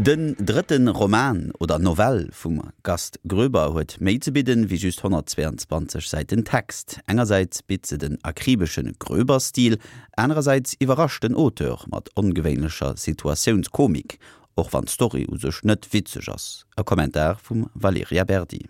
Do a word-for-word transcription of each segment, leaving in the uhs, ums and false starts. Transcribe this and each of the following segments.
Den drëtten Roman oder Novell vum Gast Groeber huet méi ze bidden wéi just honnertzweeanzwanzeg Säiten Text. Engersäits bitt se den akribesche Groeber-Stil, anerersäits iwwerrascht den Auteur mat ongewéinlecher Situatiounskomik, och wann d'Story u sech net witzeg ass. E Kommentar vum Valerija Berdi.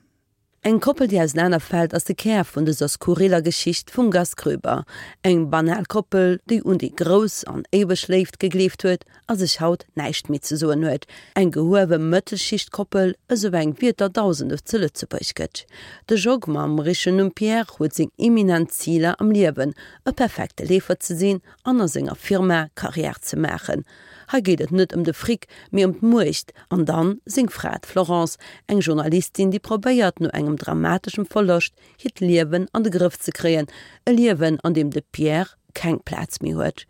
Eng Koppel, déi ausenanerfält, ass de Kär vun dëser skurriller Geschicht vum Gast Groeber. Eng banal Koppel, déi un déi grouss an éiweg Léift gegleeft huet a sech haut näischt méi ze soen huet. Eng gehuewe Mëttelschichtkoppel, esou eng wéi et der Dausende zu Lëtzebuerg gëtt. De Jog mam richtegen Numm Pierre huet seng eminent Ziler am Liewen, e perfekte Leefer ze sinn an a senger Firma Karriär ze maachen. Hei geet et net ëm de Fric, mee ëm d'Muecht. An dann seng Fra, d'Florence, eng Journalistin, déi probéiert, no engem dramateschem Verloscht hiert Liewen an de Grëff ze kréien, e Liewen, an deem de Pierre keng Plaz méi huet.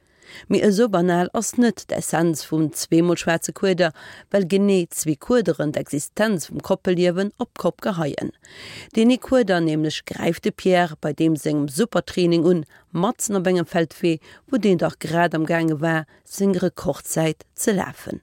Mee esou banal ass net d'Essenz vum Zweemol schwaarze Kueder, well genee zwee Kuederen d'Existenz vum Koppelliewen op d'Kopp geheien. Deen ee Kueder nämlech gräift de Pierre bei deem sengem Supertraining un, matzen op engem Feldwee, wou deen dach grad am gaange war, seng Rekordzäit ze lafen.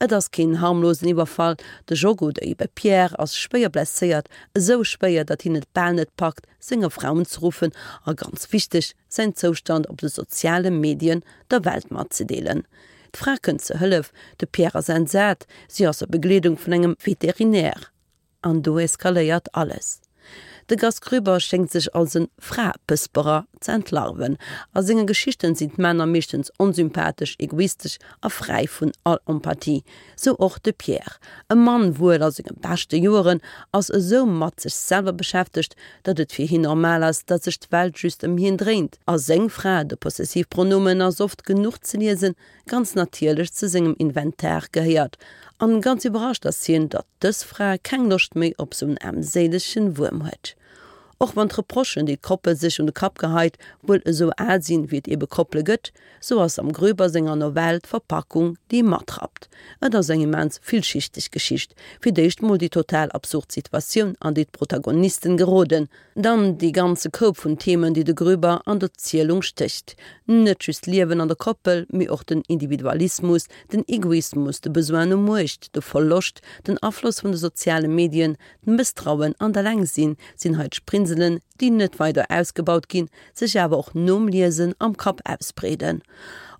Et ass keen harmlosen Iwwerfall, de Jog oder ebe Pierre ass schwéier blesséiert, esou schwéier, datt hien et bal net packt, senger Fra unzeruffen a ganz wichteg, säin Zoustand op de soziale Medien der Welt matzedeelen. D'Fra kënnt zur Hëllef, de Pierre ass entsat, si ass a Begleedung vun engem Veterinär. An do eskaléiert alles. De Gast Groeber schéngt sech als e Fraepësperer ze entlarven. A senge Geschichten sinn d'Männer meeschtens onsympathesch, egoistesch a fräi vun all Empathie. Sou och de Pierre. E Mann, wuel a senge beschte Joeren, ass esou mat sech selwer beschäftegt, datt et fir hien normal ass, datt sech d'Welt just ëm hien dréint. A seng Fra, de Possessivpronomen ass oft genuch ze liesen, ganz natierlech zu sengem Inventar gehéiert. An ganz iwwerrascht ass hien, datt dës Fra keng Loscht méi op sou en aarmséilege Wuerm huet. Och wann d'Reprochen, déi d'Koppel sech un de Kapp geheit, wuel esou al sinn, wéi et ebe Koppele gëtt, sou ass am Groeber senger Novell d'Verpackung, déi matrappt. Et ass eng immens villschichteg Geschicht. Fir d'éischt mol déi total absurd Situatioun, an déi d'Protagonisten geroden, dann dee ganze Koup vun Themen, déi de Groeber an d'Erzielung stécht. Net just d'Liewen an der Koppel, mee och den Individualismus, den Egoismus, de Besoin no Muecht, de Verloscht, den Afloss vun de soziale Medien, d'Mësstrauen an d'Elengsinn sinn hei d'Sprinselen, déi net weider ausgebaut ginn, sech awer och nom Liesen am Kapp ausbreeden.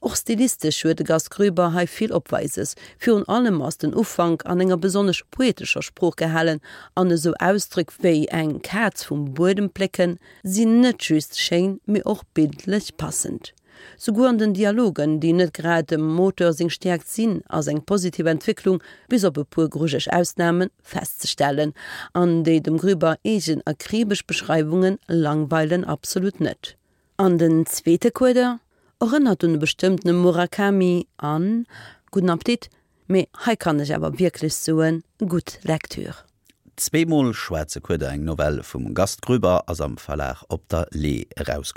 Och stilistesch huet de Gast Groeber hei vill Opweises. Virun allem ass den Ufank an enger besonnesch poetescher Sprooch gehalen an esou Ausdréck wéi eng Kaz vum Buedem plécken sinn net just schéin, mee och bildlech passend. Souguer an den Dialogen, déi net grad dem Auteur seng Stäerkt sinn, ass eng positiv Entwécklung, bis op e puer grujeleg Ausnamen, festzestellen. An déi dem Groeber eegen akribesch Beschreiwunge langweilen absolut net. An den zweete Kueder erënnert un e bestëmmtene Murakami an gudden Appetit, mee hei kann ech awer wierklech soen, gutt Lektür. Zweemol schwaarze Kueder, eng Novell vum Gast Groeber, ass am Verlag Op der Le'h erauskomm.